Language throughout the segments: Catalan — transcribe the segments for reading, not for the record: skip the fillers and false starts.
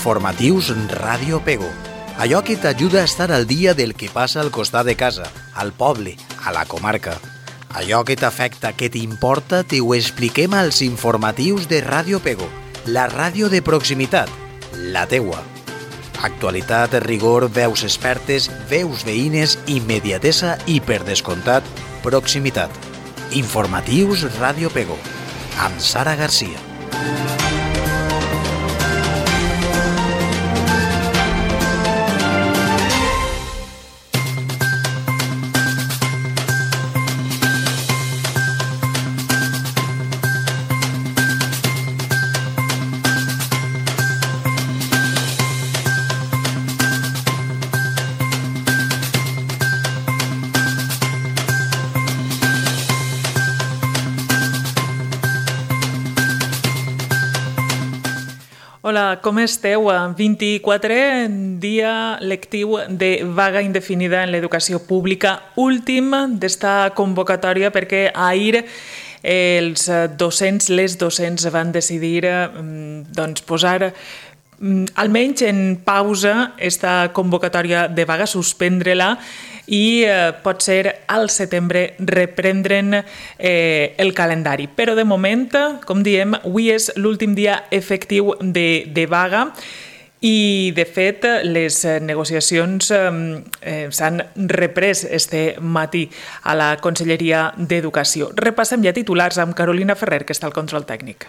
Informatius Ràdio Pego. Allò que t'ajuda a estar al dia del que passa al costat de casa, al poble, a la comarca. Allò que t'afecta, que t'importa, t'ho expliquem als informatius de Ràdio Pego, la ràdio de proximitat, la teua. Actualitat, rigor, veus expertes, veus veïnes, immediatesa i, per descomptat, proximitat. Informatius Ràdio Pego, amb Sara Garcia. Hola, com esteu? 24 dia lectiu de vaga indefinida en l'educació pública, últim d'esta convocatòria perquè ahir els docents, les docents van decidir posar almenys en pausa esta convocatòria de vaga, suspendre-la i pot ser al setembre reprendre'n el calendari. Però de moment, com diem, avui és l'últim dia efectiu de vaga i, de fet, les negociacions s'han reprès este matí a la Conselleria d'Educació. Repassem ja titulars amb Carolina Ferrer, que està al control tècnic.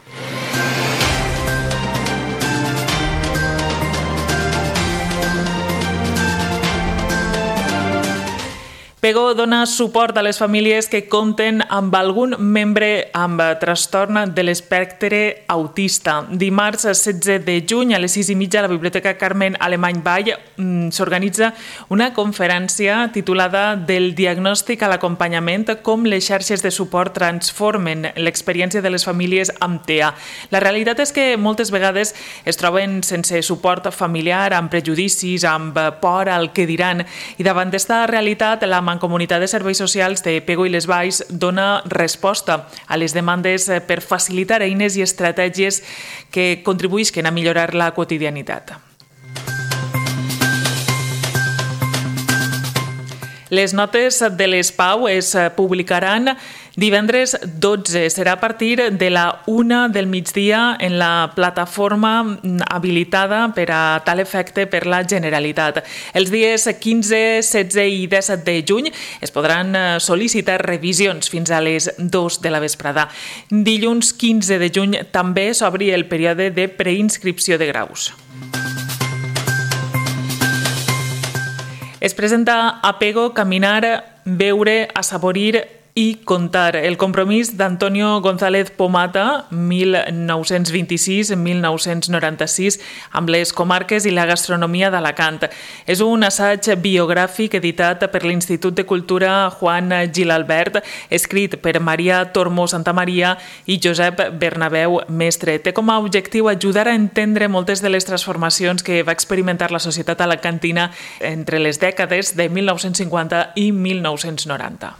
Pego dona suport a les famílies que compten amb algun membre amb trastorn de l'espectre autista. Dimarts 16 de juny a les 6:30 a la Biblioteca Carmen Alemany Vall s'organitza una conferència titulada Del diagnòstic a l'acompanyament, com les xarxes de suport transformen l'experiència de les famílies amb TEA. La realitat és que moltes vegades es troben sense suport familiar, amb prejudicis, amb por al que diran, i davant d'esta realitat la Mancomunitat de Serveis Socials de Pego i les Valls dona resposta a les demandes per facilitar eines i estratègies que contribuïsquen a millorar la quotidianitat. Les notes de les PAU es publicaran divendres 12. Serà a partir de la 1 del migdia en la plataforma habilitada per a tal efecte per la Generalitat. Els dies 15, 16 i 17 de juny es podran sol·licitar revisions fins a les 2 de la vesprada. Dilluns 15 de juny també s'obri el període de preinscripció de graus. Es presenta a Pego Caminar, Veure, Assaborir i Contar, el compromís d'Antonio González Pomata, 1926-1996, amb les comarques i la gastronomia d'Alacant. És un assaig biogràfic editat per l'Institut de Cultura Juan Gilalbert, escrit per Maria Tormó Santamaria i Josep Bernabéu Mestre. Té com a objectiu ajudar a entendre moltes de les transformacions que va experimentar la societat alacantina entre les dècades de 1950 i 1990.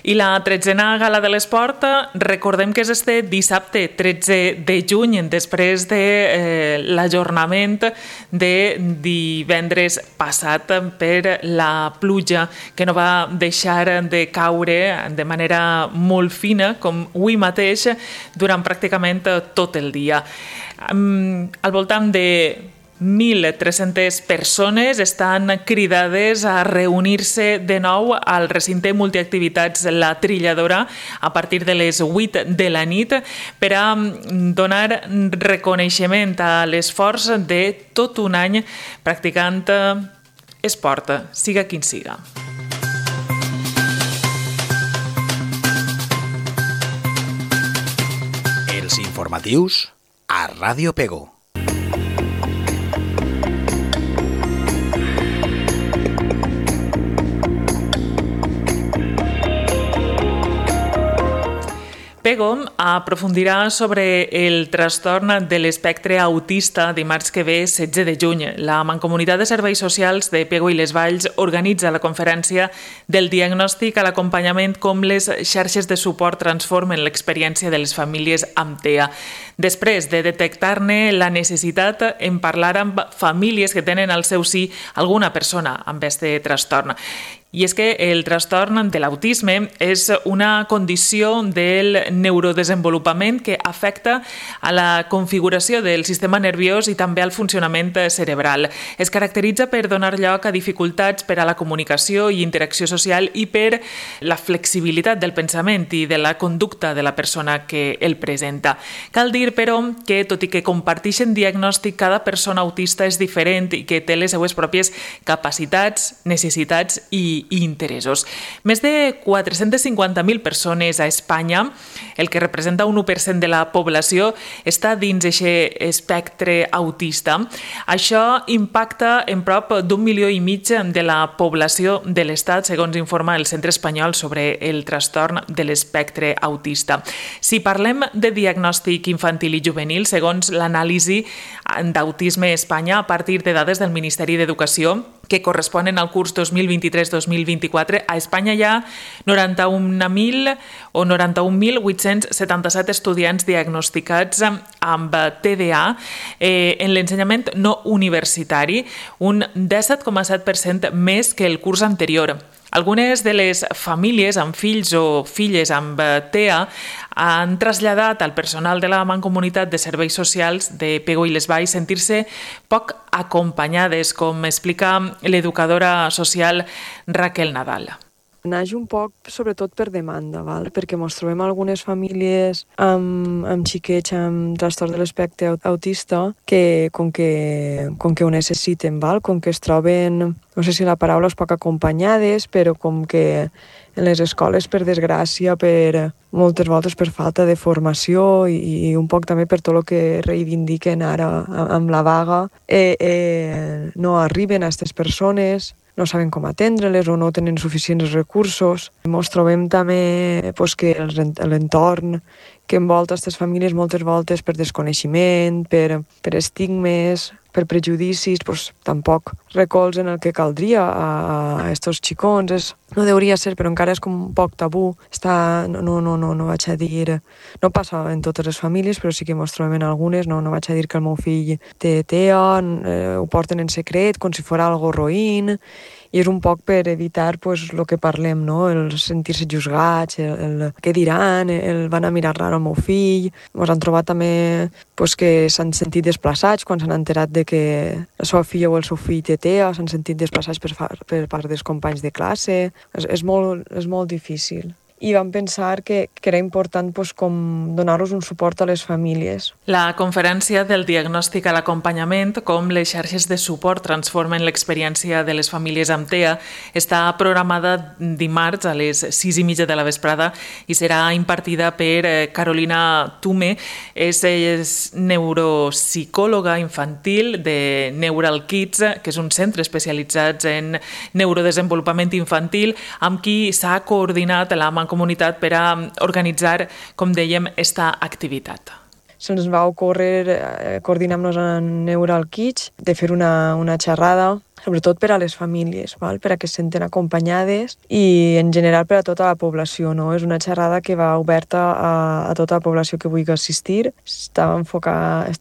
I la 13a Gala de l'Esport, recordem que és este dissabte 13 de juny, després de l'ajornament de divendres passat per la pluja que no va deixar de caure de manera molt fina, com avui mateix, durant pràcticament tot el dia. Al voltant de 1.300 persones estan cridades a reunir-se de nou al recinte multiactivitats La Trilladora a partir de les 8 de la nit per a donar reconeixement a l'esforç de tot un any practicant esport, siga quin siga. Els informatius a Ràdio Pego. PEGO aprofundirà sobre el trastorn de l'espectre autista dimarts que ve, 16 de juny. La Mancomunitat de Serveis Socials de PEGO i les Valls organitza la conferència del diagnòstic a l'acompanyament com les xarxes de suport transformen l'experiència de les famílies amb TEA. Després de detectar-ne la necessitat en parlar amb famílies que tenen al seu si alguna persona amb aquest trastorn. I és que el trastorn de l'autisme és una condició del neurodesenvolupament que afecta a la configuració del sistema nerviós i també al funcionament cerebral. Es caracteritza per donar lloc a dificultats per a la comunicació i interacció social i per la flexibilitat del pensament i de la conducta de la persona que el presenta. Cal dir, però, que tot i que comparteixen diagnòstic, cada persona autista és diferent i que té les seues pròpies capacitats, necessitats i interessos. Més de 450.000 persones a Espanya, el que representa un 1% de la població, està dins aquest espectre autista. Això impacta en prop d'1,5 milió de la població de l'Estat, segons informa el Centre Espanyol sobre el trastorn de l'espectre autista. Si parlem de diagnòstic infantil i juvenil, segons l'anàlisi d'autisme a Espanya, a partir de dades del Ministeri d'Educació, que corresponen al curs 2023-2024, a Espanya hi ha 91.877 estudiants diagnosticats amb TDA en l'ensenyament no universitari, un 17,7% més que el curs anterior. Algunes de les famílies amb fills o filles amb TEA han traslladat al personal de la Mancomunitat de Serveis Socials de PEGO i les Valls sentir-se poc acompanyades, com explica l'educadora social Raquel Nadal. Naix un poc, sobretot per demanda, perquè ens trobem algunes famílies amb xiquets amb trastorn de l'espectre autista que com que ho necessiten, com que es troben, no sé si la paraula és poc acompanyades, però com que en les escoles, per desgràcia, moltes voltes per falta de formació i un poc també per tot el que reivindiquen ara amb la vaga, no arriben a aquestes persones, no saben com atendre-les o no tenen suficients recursos. Ens trobem també que l'entorn que envolta aquestes famílies moltes voltes per desconeixement, per estigmes, per prejudicis, tampoc recolzen el que caldria a aquests xicons. No hauria ser, però encara és com un poc tabú. No vaig a dir... No passa en totes les famílies, però sí que ens trobem en algunes. No vaig a dir que el meu fill té TEA, ho porten en secret, com si fos algo roïn, i és un poc per evitar el que parlem, el sentir-se juzgats, el què diran, el van a mirar raro al meu fill. Ens han trobat també que s'han sentit desplaçats quan s'han enterat de que la seva filla o el seu fill té TEA, s'han sentit desplaçats per part dels companys de classe. És molt difícil. I vam pensar que era important com donar-los un suport a les famílies. La conferència del diagnòstic a l'acompanyament, com les xarxes de suport transformen l'experiència de les famílies amb TEA, està programada dimarts a les 6:30 de la vesprada i serà impartida per Carolina Tume. És neuropsicòloga infantil de Neural Kids, que és un centre especialitzat en neurodesenvolupament infantil, amb qui s'ha coordinat la Mancomunitat per a organitzar, com dèiem, esta activitat. Se'ns va ocórrer coordinar-nos en Neural Kids de fer una xerrada, sobretot per a les famílies, per a que se senten acompanyades i en general per a tota la població. És una xerrada que va oberta a tota la població que vulgui assistir. Està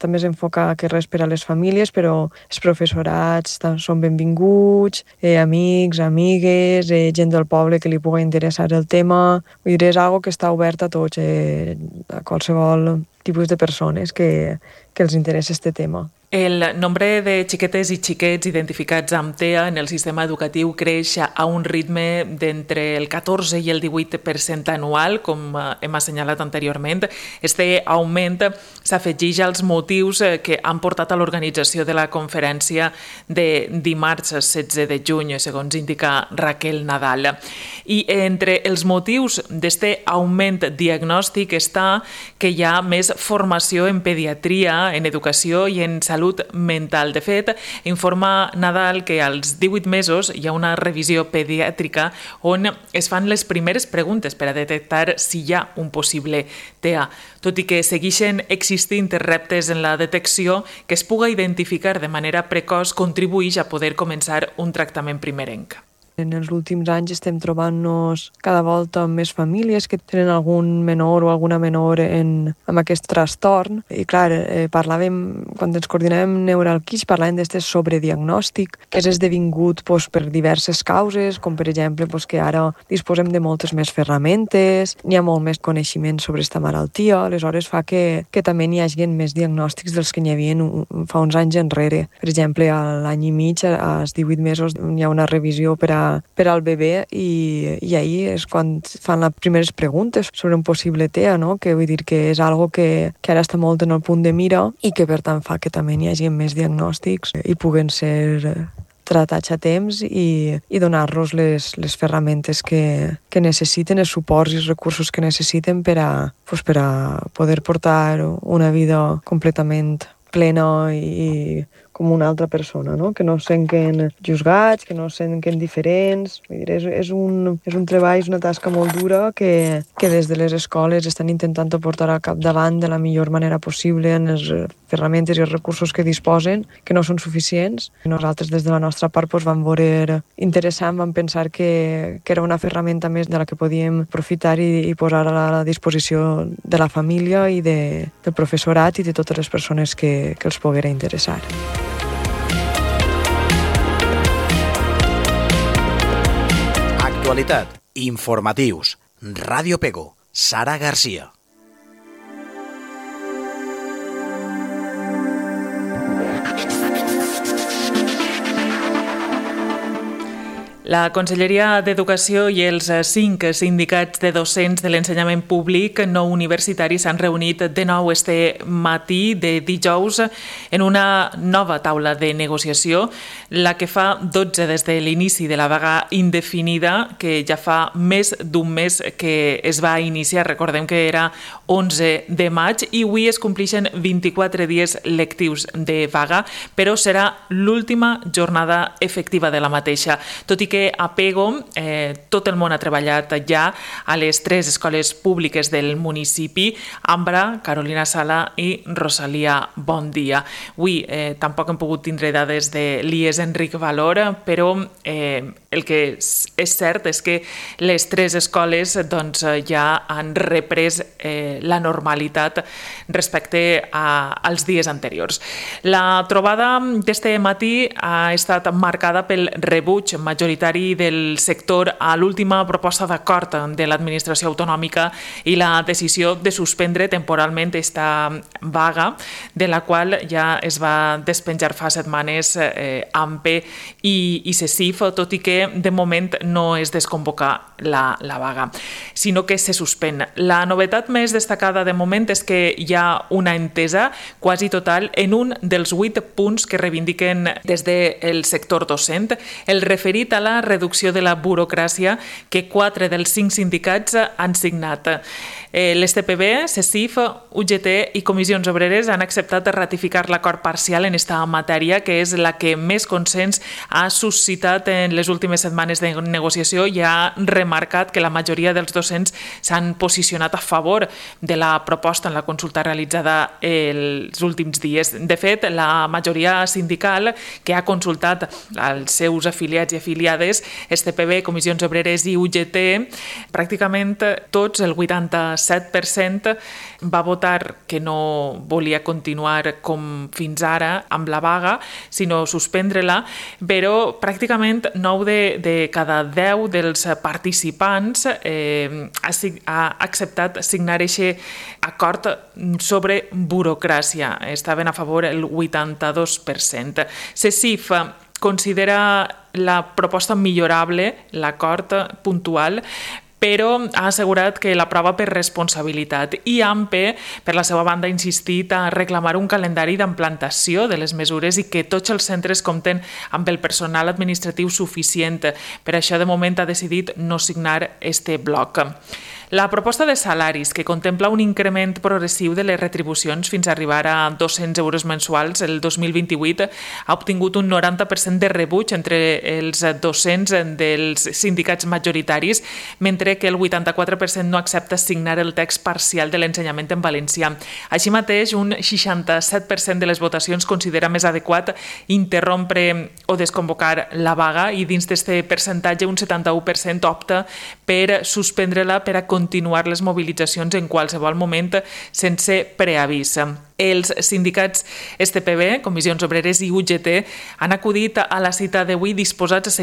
més enfocada que res per a les famílies, però els professorats són benvinguts, amics, amigues, gent del poble que li pugui interessar el tema. Vull dir, és una cosa que està oberta a tots, a qualsevol tipus de persones que els interessa aquest tema. El nombre de xiquetes i xiquets identificats amb TEA en el sistema educatiu creix a un ritme d'entre el 14 i el 18% anual, com hem assenyalat anteriorment. Este augment s'afegeix als motius que han portat a l'organització de la conferència de dimarts 16 de juny, segons indica Raquel Nadal. I entre els motius d'este augment diagnòstic està que hi ha més és formació en pediatria, en educació i en salut mental. De fet, informa Nadal que als 18 mesos hi ha una revisió pediàtrica on es fan les primeres preguntes per a detectar si hi ha un possible TEA. Tot i que segueixen existint reptes en la detecció, que es puga identificar de manera precoç contribueix a poder començar un tractament primerenc. En els últims anys estem trobant-nos cada volta amb més famílies que tenen algun menor o alguna menor amb aquest trastorn. I clar, parlàvem, quan ens coordinàvem neuralquis, parlàvem d'aquest sobrediagnòstic que és esdevingut per diverses causes, com per exemple que ara disposem de moltes més ferramentes, n'hi ha molt més coneixement sobre aquesta malaltia, aleshores fa que també n'hi hagi més diagnòstics dels que n'hi havia fa uns anys enrere. Per exemple, a l'any i mig, als 18 mesos, hi ha una revisió per al bebè i ahir és quan fan les primeres preguntes sobre un possible TEA, no? Que vull dir que és algo que ara està molt en el punt de mira i que per tant fa que també n'hi hagi més diagnòstics i puguen ser tratats a temps i donar-los les ferramentes que necessiten, els suports i els recursos que necessiten per a poder portar una vida completament plena i com una altra persona, no? Que no es senten juzgats, que no es senten diferents. Vull dir, és un treball, és una tasca molt dura que des de les escoles estan intentant portar al capdavant de la millor manera possible en les ferramentes i els recursos que disposen, que no són suficients. Nosaltres des de la nostra part vam veure interessant, vam pensar que era una ferramenta més de la que podíem aprofitar i posar a la disposició de la família i del professorat i de totes les persones que els poguera interessar. Actualitat, informatius, Ràdio Pego, Sara Garcia. La Conselleria d'Educació i els 5 sindicats de docents de l'ensenyament públic no universitari s'han reunit de nou este matí de dijous en una nova taula de negociació, la que fa 12 des de l'inici de la vaga indefinida, que ja fa més d'un mes que es va iniciar. Recordem que era 11 de maig i avui es compleixen 24 dies lectius de vaga, però serà l'última jornada efectiva de la mateixa. Tot i que a Pego tot el món ha treballat ja a les 3 escoles públiques del municipi, Ambra, Carolina Sala i Rosalia Bon Dia. Avui tampoc hem pogut tindre dades de l'IES Enric Valor, però el que és cert és que les 3 escoles ja han reprès la normalitat respecte als dies anteriors. La trobada d'este matí ha estat marcada pel rebuig majoritari del sector a l'última proposta d'acord de l'administració autonòmica i la decisió de suspendre temporalment esta vaga, de la qual ja es va despenjar fa setmanes AMPE i CECIF, tot i que de moment no es desconvoca la vaga, sinó que se suspèn. La novetat més destacada de moment és que hi ha una entesa quasi total en un dels 8 punts que reivindiquen des del sector docent, el referit a la reducció de la burocràcia que 4 dels 5 sindicats han signat. L'STPB, CECIF, UGT i Comissions Obreres han acceptat ratificar l'acord parcial en esta matèria, que és la que més consens ha suscitat en les últimes setmanes de negociació i ha remarcat que la majoria dels docents s'han posicionat a favor de la proposta en la consulta realitzada els últims dies. De fet, la majoria sindical que ha consultat als seus afiliats i afiliades, STPB, Comissions Obreres i UGT, pràcticament tots, el 87%, va votar que no volia continuar com fins ara amb la vaga, sinó suspendre-la, però pràcticament 9 de cada 10 dels participants ha acceptat signar aquest acord sobre burocràcia. Estaven a favor el 82%. CECIF considera la proposta millorable, l'acord puntual, però ha assegurat que l'aprova per responsabilitat. I AMPE, per la seva banda, ha insistit a reclamar un calendari d'implantació de les mesures i que tots els centres compten amb el personal administratiu suficient. Per això, de moment, ha decidit no signar este bloc. La proposta de salaris, que contempla un increment progressiu de les retribucions fins a arribar a 200 euros mensuals el 2028, ha obtingut un 90% de rebuig entre els docents dels sindicats majoritaris, mentre que el 84% no accepta signar el text parcial de l'ensenyament en valencià. Així mateix, un 67% de les votacions considera més adequat interrompre o desconvocar la vaga i dins d'aquest percentatge un 71% opta per suspendre-la per a continuar les mobilitzacions en qualsevol moment sense preavís. Els sindicats STPB, Comissions Obreres i UGT han acudit a la cita d'avui disposats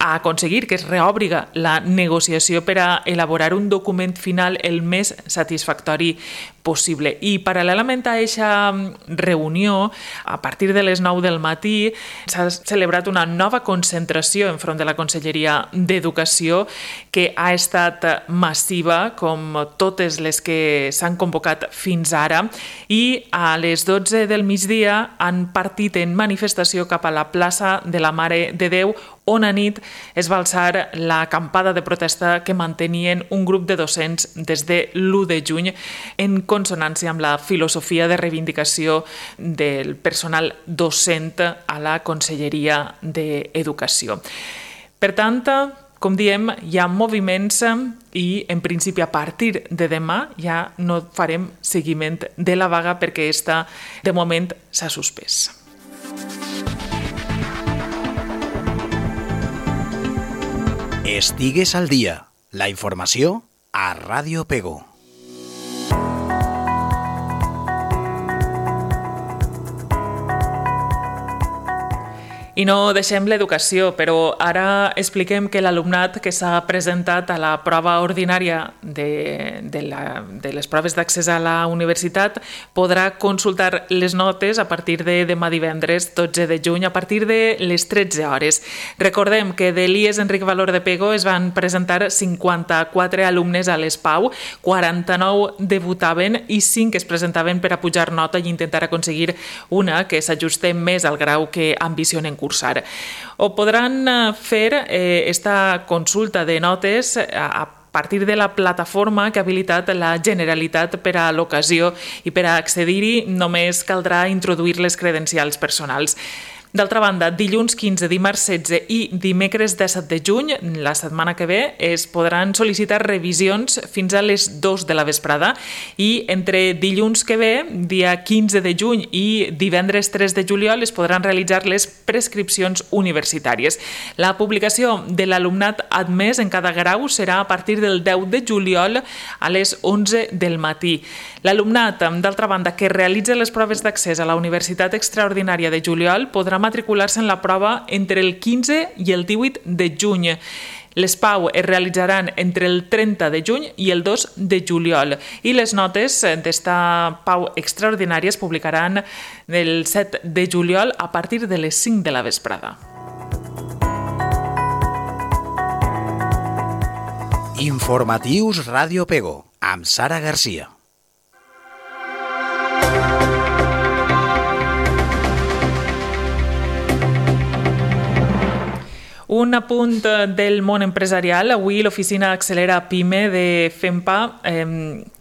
a aconseguir que es reòbriga la negociació per a elaborar un document final el més satisfactori possible. I paral·lelament a aquesta reunió, a partir de les 9 del matí, s'ha celebrat una nova concentració enfront de la Conselleria d'Educació que ha estat massiva, com totes les que s'han convocat fins ara, i a les 12 del migdia han partit en manifestació cap a la plaça de la Mare de Déu, on a nit es va alçar l'acampada de protesta que mantenien un grup de docents des de l'1 de juny en consonància amb la filosofia de reivindicació del personal docent a la Conselleria d'Educació. Per tant, com diem, hi ha moviments i, en principi, a partir de demà ja no farem seguiment de la vaga perquè aquesta, de moment, s'ha suspès. Estigues al dia. La informació a Ràdio Pego. I no deixem l'educació, però ara expliquem que l'alumnat que s'ha presentat a la prova ordinària de les proves d'accés a la universitat podrà consultar les notes a partir de demà divendres 12 de juny a partir de les 13 hores. Recordem que de l'IES Enric Valor de Pego es van presentar 54 alumnes a l'ESPAU, 49 debutaven i 5 es presentaven per a pujar nota i intentar aconseguir una que s'ajuste més al grau que ambicionen cursar. O podran fer esta consulta de notes a partir de la plataforma que ha habilitat la Generalitat per a l'ocasió i per a accedir-hi només caldrà introduir les credencials personals. D'altra banda, dilluns 15, dimarts 16 i dimecres 17 de juny, la setmana que ve, es podran sol·licitar revisions fins a les 2 de la vesprada i entre dilluns que ve, dia 15 de juny i divendres 3 de juliol es podran realitzar les prescripcions universitàries. La publicació de l'alumnat admès en cada grau serà a partir del 10 de juliol a les 11 del matí. L'alumnat, d'altra banda, que realitza les proves d'accés a la Universitat Extraordinària de Juliol podrà matricular-se en la prova entre el 15 i el 18 de juny. Les PAU es realitzaran entre el 30 de juny i el 2 de juliol i les notes d'esta PAU extraordinària es publicaran el 7 de juliol a partir de les 5 de la vesprada. Informatius Ràdio Pego, amb Sara Garcia. Un apunt del món empresarial. Avui l'oficina Accelera PIME de FEMPA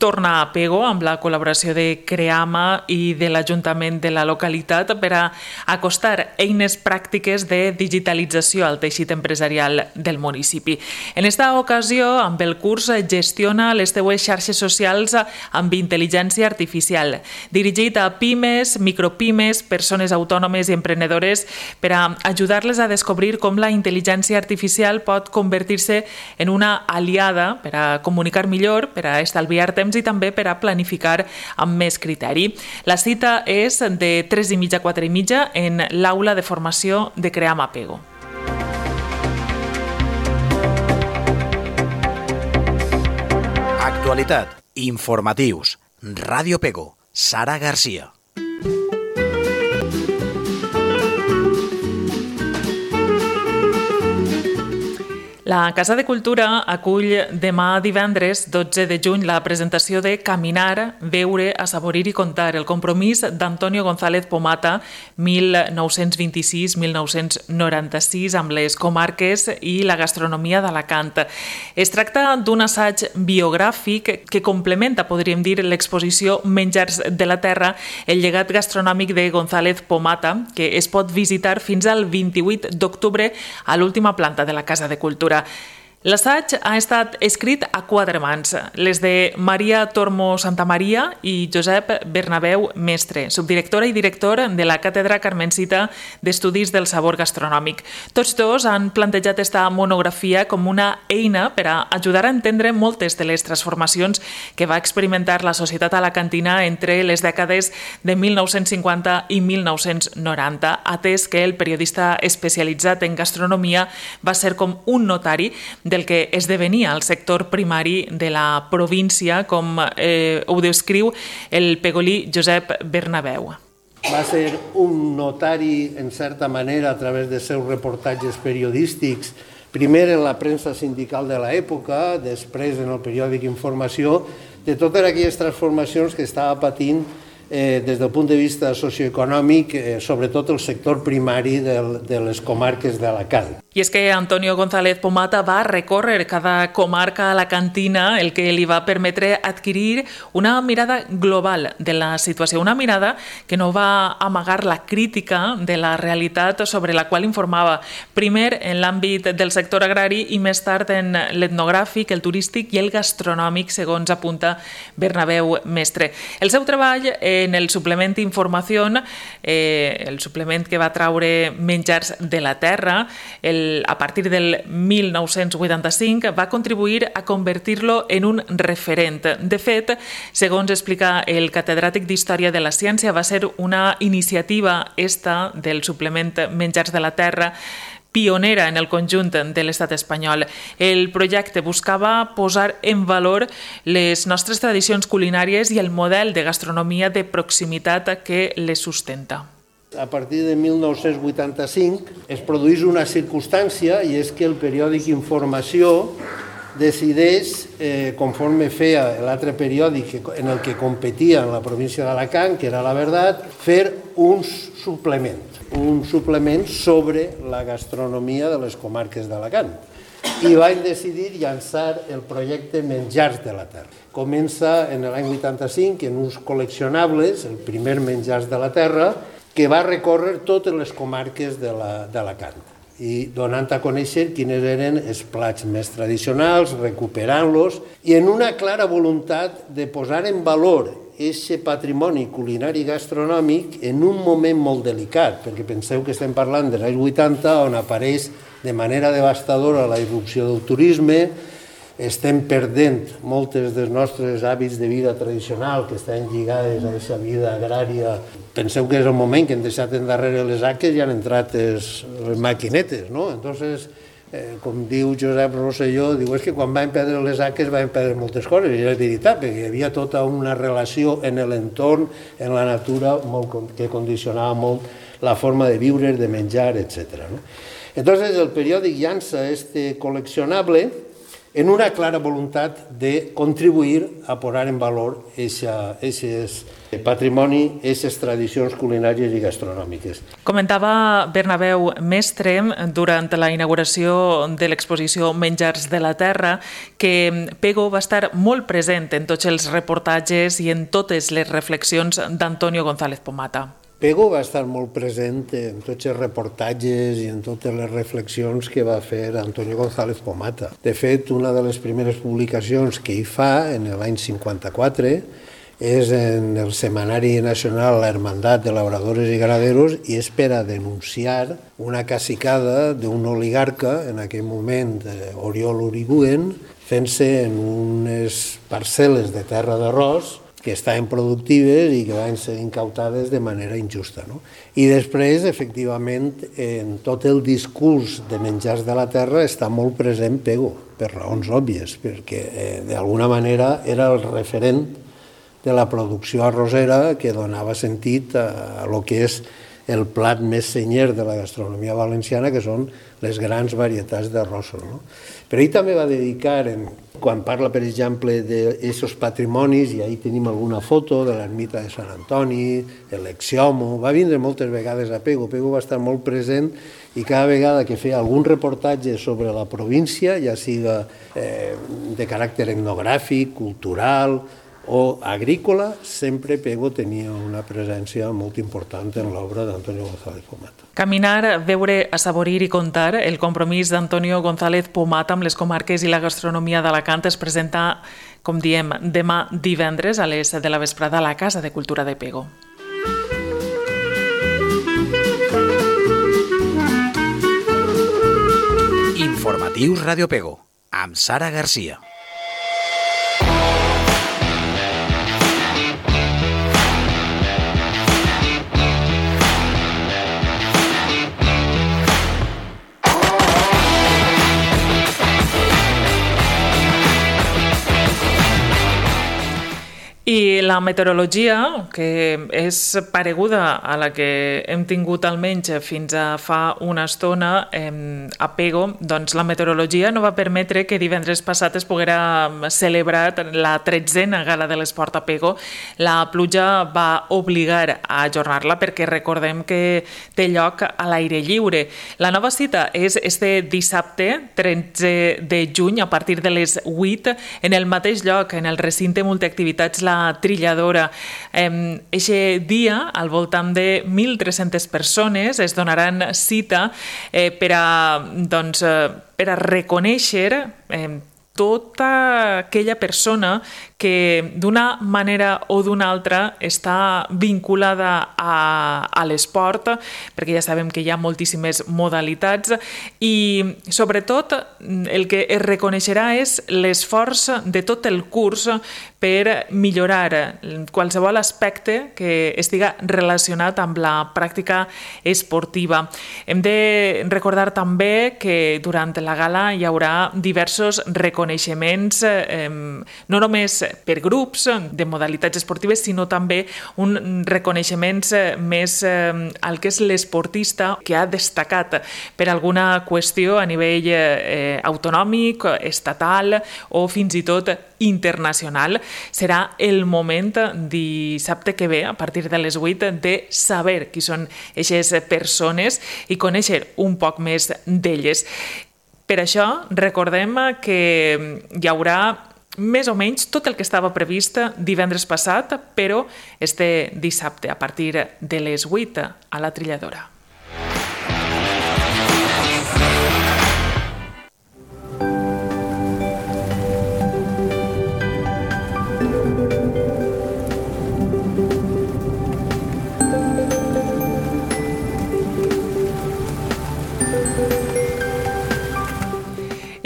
torna a Pego amb la col·laboració de Creama i de l'Ajuntament de la localitat per a acostar eines pràctiques de digitalització al teixit empresarial del municipi. En esta ocasió, amb el curs Gestiona les teues xarxes socials amb intel·ligència artificial, dirigit a pimes, micropimes, persones autònomes i emprenedores per a ajudar-les a descobrir com la intel·ligència artificial pot convertir-se en una aliada per a comunicar millor, per a estalviar temps i també per a planificar amb més criteri. La cita és de 3:30 a 4:30 en l'aula de formació de Creama Pego. Actualitat, informatius, Ràdio Pego, Sara Garcia. La Casa de Cultura acull demà divendres 12 de juny la presentació de Caminar, veure, assaborir i contar, el compromís d'Antonio González Pomata 1926-1996 amb les comarques i la gastronomia d'Alacant. Es tracta d'un assaig biogràfic que complementa, podríem dir, l'exposició Menjars de la Terra, el llegat gastronòmic de González Pomata, que es pot visitar fins al 28 d'octubre a l'última planta de la Casa de Cultura. L'assaig ha estat escrit a quatre mans, les de Maria Tormo Santamaria i Josep Bernabéu Mestre, subdirectora i director de la Càtedra Carmencita d'Estudis del Sabor Gastronòmic. Tots dos han plantejat esta monografia com una eina per a ajudar a entendre moltes de les transformacions que va experimentar la societat alacantina entre les dècades de 1950 i 1990, atès que el periodista especialitzat en gastronomia va ser com un notari del que esdevenia el sector primari de la província, com ho descriu el pegolí Josep Bernabéu. Va ser un notari, en certa manera, a través de seus reportatges periodístics, primer en la premsa sindical de l'època, després en el periòdic Informació, de totes aquelles transformacions que estava patint des del punt de vista socioeconòmic, sobretot el sector primari de les comarques d'Alacant. I és que Antonio González Pomata va recórrer cada comarca alacantina, el que li va permetre adquirir una mirada global de la situació, una mirada que no va amagar la crítica de la realitat sobre la qual informava, primer en l'àmbit del sector agrari i més tard en l'etnogràfic, el turístic i el gastronòmic, segons apunta Bernabéu Mestre. El seu treball en el suplement Informació, el suplement que va traure Menjars de la Terra, a partir del 1985, va contribuir a convertir-lo en un referent. De fet, segons explica el catedràtic d'Història de la Ciència, va ser una iniciativa esta del suplement Menjars de la Terra pionera en el conjunt de l'estat espanyol. El projecte buscava posar en valor les nostres tradicions culinàries i el model de gastronomia de proximitat que les sustenta. A partir de 1985 es produeix una circumstància i és que el periòdic Informació decideix, conforme feia l'altre periòdic en el que competia en la província d'Alacant, que era La Verdad, fer un suplement sobre la gastronomia de les comarques d'Alacant. I van decidir llançar el projecte Menjars de la Terra. Comença en l'any 85 en uns col·leccionables, el primer Menjars de la Terra, que va recórrer totes les comarques d'Alacant i donant a conèixer quines eren els plats més tradicionals, recuperant-los i en una clara voluntat de posar en valor aquest patrimoni culinari gastronòmic en un moment molt delicat, perquè penseu que estem parlant dels anys 80, on apareix de manera devastadora la irrupció del turisme, estem perdent moltes dels nostres hàbits de vida tradicional que estan lligades a aquesta vida agrària. Penseu que és el moment que hem deixat endarrere les haques i han entrat les maquinetes, no? Entonces, com diu Josep Rosselló, diu, és que quan van perdre les haques van perdre moltes coses, i és veritat, perquè hi havia tota una relació en l'entorn, en la natura, que condicionava molt la forma de viure, de menjar, etc. Entonces, el periòdic llança este col·leccionable en una clara voluntat de contribuir a posar en valor aquest patrimoni, aquestes tradicions culinàries i gastronòmiques. Comentava Bernabéu Mestre durant la inauguració de l'exposició Menjars de la Terra que Pego va estar molt present en tots els reportatges i en totes les reflexions d'Antonio González Pomata. Pego va estar molt present en tots els reportatges i en totes les reflexions que va fer Antonio González Pomata. De fet, una de les primeres publicacions que hi fa, en l'any 54, és en el Setmanari Nacional La Hermandad de Labradores i Ganaderos i és per a denunciar una cacicada d'un oligarca, en aquell moment Oriol Uribuen, fent-se en unes parcel·les de terra d'arròs que estaven productives i que van ser incautades de manera injusta. I després, efectivament, en tot el discurs de Menjars de la Terra està molt present Pego, per raons òbvies, perquè d'alguna manera era el referent de la producció arrossera que donava sentit a lo que és el plat més senyer de la gastronomia valenciana, que són les grans varietats d'arrossos. No? Però ell també va dedicar, quan parla, per exemple, d'aquests patrimonis, i ahí tenim alguna foto de l'ermita de Sant Antoni, l'Exiomo, va vindre moltes vegades a Pego. Pego va estar molt present i cada vegada que feia algun reportatge sobre la província, ja siga de caràcter etnogràfic, cultural o agrícola, sempre Pego tenia una presència molt important en l'obra d'Antonio González Pomata. Caminar, veure, assaborir i contar, el compromís d'Antonio González Pomata amb les comarques i la gastronomia d'Alacant es presenta, com diem, demà divendres a les 7 de la vesprada a la Casa de Cultura de Pego. Informatius Radio Pego, amb Sara Garcia. I la meteorologia, que és pareguda a la que hem tingut almenys fins a fa una estona a Pego, doncs la meteorologia no va permetre que divendres passat es poguera celebrar la 13a Gala de l'Esport a Pego. La pluja va obligar a ajornar-la perquè recordem que té lloc a l'aire lliure. La nova cita és este dissabte, 13 de juny, a partir de les 8, en el mateix lloc, en el recinte multiactivitats La Trilladora. Eixe dia, al voltant de 1.300 persones es donaran cita per a reconèixer tota aquella persona que d'una manera o d'una altra està vinculada a l'esport, perquè ja sabem que hi ha moltíssimes modalitats i sobretot el que es reconeixerà és l'esforç de tot el curs per millorar qualsevol aspecte que estiga relacionat amb la pràctica esportiva. Hem de recordar també que durant la gala hi haurà diversos reconeixements, no només per grups de modalitats esportives, sinó també un reconeixements més al que és l'esportista que ha destacat per alguna qüestió a nivell autonòmic, estatal o fins i tot internacional. Serà el moment dissabte que ve, a partir de les 8, de saber qui són aquestes persones i conèixer un poc més d'elles. Per això, recordem que hi haurà més o menys tot el que estava previst divendres passat, però este dissabte, a partir de les 8, a la Trilladora.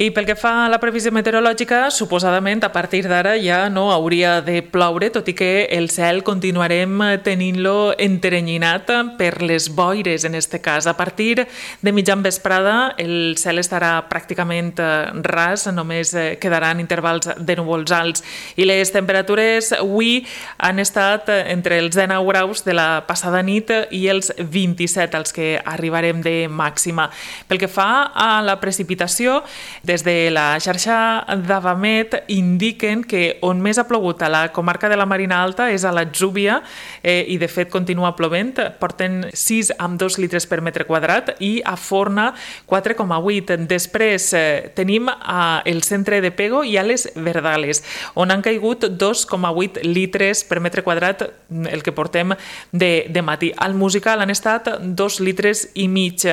I pel que fa a la previsió meteorològica, suposadament a partir d'ara ja no hauria de ploure, tot i que el cel continuarem tenint-lo enterrenyinat per les boires, en este cas. A partir de mitjan vesprada el cel estarà pràcticament ras, només quedaran intervals de núvols alts i les temperatures avui han estat entre els 19 graus de la passada nit i els 27 als que arribarem de màxima. Pel que fa a la precipitació, des de la xarxa d'Avamet indiquen que on més ha plogut a la comarca de la Marina Alta és a l'Atzúbia i de fet continua plovent, porten 6,2 litres per metre quadrat i a Forna 4,8. Després tenim el centre de Pego i a les Verdales, on han caigut 2,8 litres per metre quadrat el que portem de matí. Al Musical han estat 2 litres i mig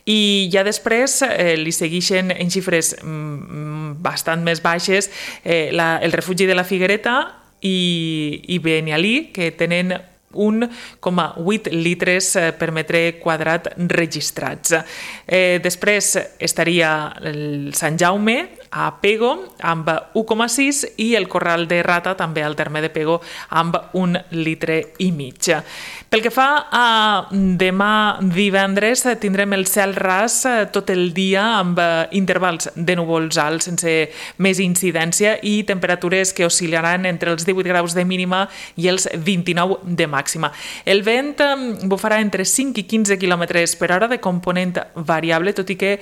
i ja després li segueixen en xifres bastant més baixes el refugi de la Figuereta i Benialí, que tenen 1,8 litres per metre quadrat registrats. Després estaria el Sant Jaume a Pego amb 1,6 i el Corral de Rata també al terme de Pego amb 1,5 litres. Pel que fa a demà divendres, tindrem el cel ras tot el dia amb intervals de núvols alts sense més incidència i temperatures que oscil·laran entre els 18 graus de mínima i els 29 de màxima. El vent bufarà entre 5 i 15 km per hora de component variable, tot i que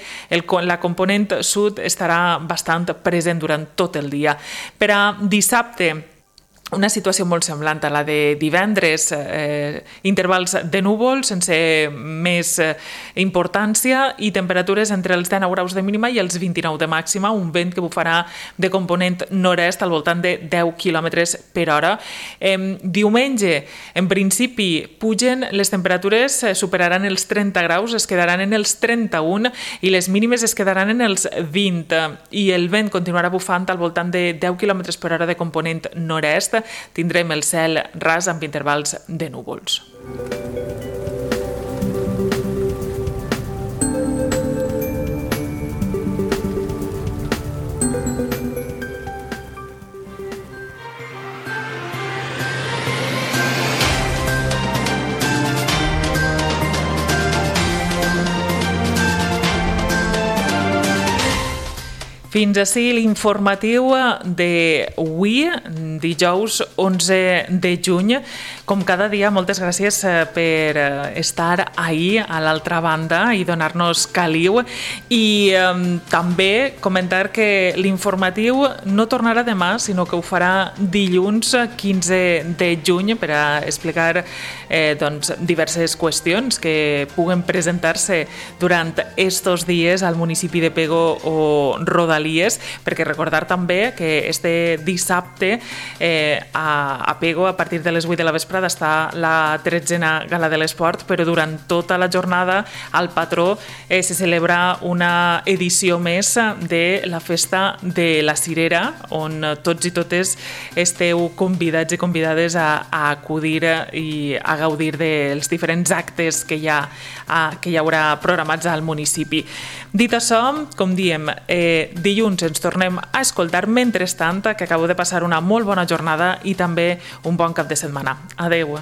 la component sud estarà bastant present durant tot el dia. Per a dissabte, una situació molt semblant a la de divendres, intervals de núvols sense més importància i temperatures entre els 19 graus de mínima i els 29 de màxima, un vent que bufarà de component nord-est al voltant de 10 km per hora. Diumenge, en principi, pugen les temperatures, superaran els 30 graus, es quedaran en els 31 i les mínimes es quedaran en els 20 i el vent continuarà bufant al voltant de 10 km per hora de component nord-est. Tindrem el cel ras amb intervals de núvols. Fins ací l'informatiu d'avui, dijous 11 de juny. Com cada dia, moltes gràcies per estar ahir a l'altra banda i donar-nos caliu. I també comentar que l'informatiu no tornarà demà, sinó que ho farà dilluns 15 de juny per a explicar diverses qüestions que puguen presentar-se durant estos dies al municipi de Pego o Rodalies, perquè recordar també que este dissabte a Pego, a partir de les 8 de la vesprada, està la 13a Gala de l'Esport, però durant tota la jornada al Patró se celebra una edició més de la Festa de la Cirera, on tots i totes esteu convidats i convidades a acudir i a gaudir dels diferents actes que hi haurà programats al municipi. Dit això, com diem, dilluns ens tornem a escoltar. Mentrestant, que acabo de passar una molt bona jornada i també un bon cap de setmana. Adeu.